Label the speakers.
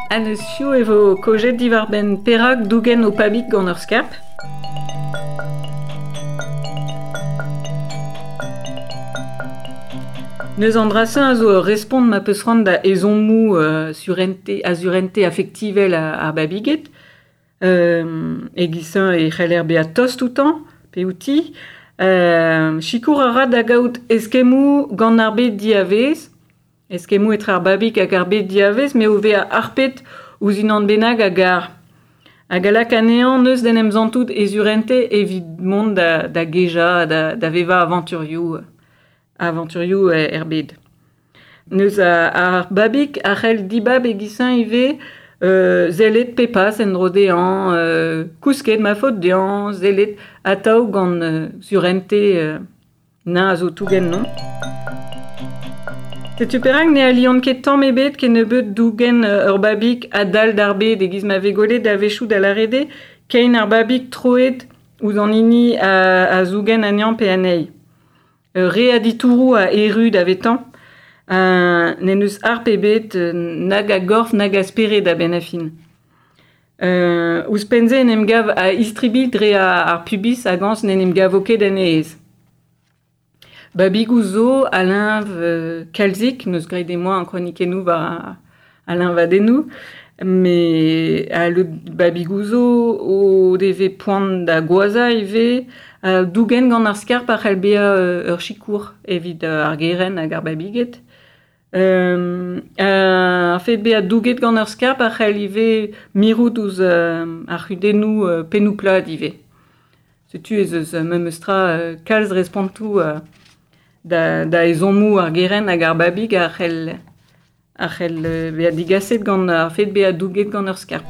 Speaker 1: Ha neus piv e vo kaojet diwar-benn perak dougen ho pabig gant ur skarp. Neus an dra-se a zo ur respont ma peus c'hoant da ezhommoù surente, a surente afektivel ar babiged. E-giz-se e c'heller bezañ tost outañ pe outi. Sikour a ra da gaout eskemmoù gant ar bed diavaez. Eskemmoù etre ar babig hag ar bed diavaez m'eo vezañ harpet ouzh unan bennak a gar. Hag a lak anezhañ neuz d'en em santout e surente evit mont da gejañ, da vevañ avanturioù, avanturioù er bed. Neuz ar babig a c'hell dibab e-giz-se ivez sellet pe pas en-dro dezhañ, kousket ma faot dezhañ, sellet atav gant surente na a zo tougen non. Setu perak ne aliont ket tamm ebet kennebeut dougen ur babig a-dal d'ar bed e-giz ma vez gwelet a-wechoù da lâret eo kein ar babig troet ouzh an hini a zougen anezhañ pe anezhi. Re a ditouroù a erru davetañ. N'en deus harp ebet nag a gorf nag a spered a-benn ar fin. Ouzhpenn-se en em gav a-istribilh dre ar pubis hag añs n'en em gavo ket en e aez. Babigoù zo a leñv kalzik, n'eus graet emañ an kronikennoù war al leñvadennoù, met al babigoù zo o devez poan da goazhañ ivez. Dougen gant ar skarp a c'hell bezañ ur sikour evit ar gerent hag ar babiged. Ar fed bezañ douget gant ur skarp a c'hell ivez mirout ouzh ar c'hudennoù pennoù-plat ivez. Setu ez eus memes tra kalz respontoù da ezhommoù ar gerent hag ar babig a c'hell bezañ digaset gant ar fed bezañ douget gant ur skarp.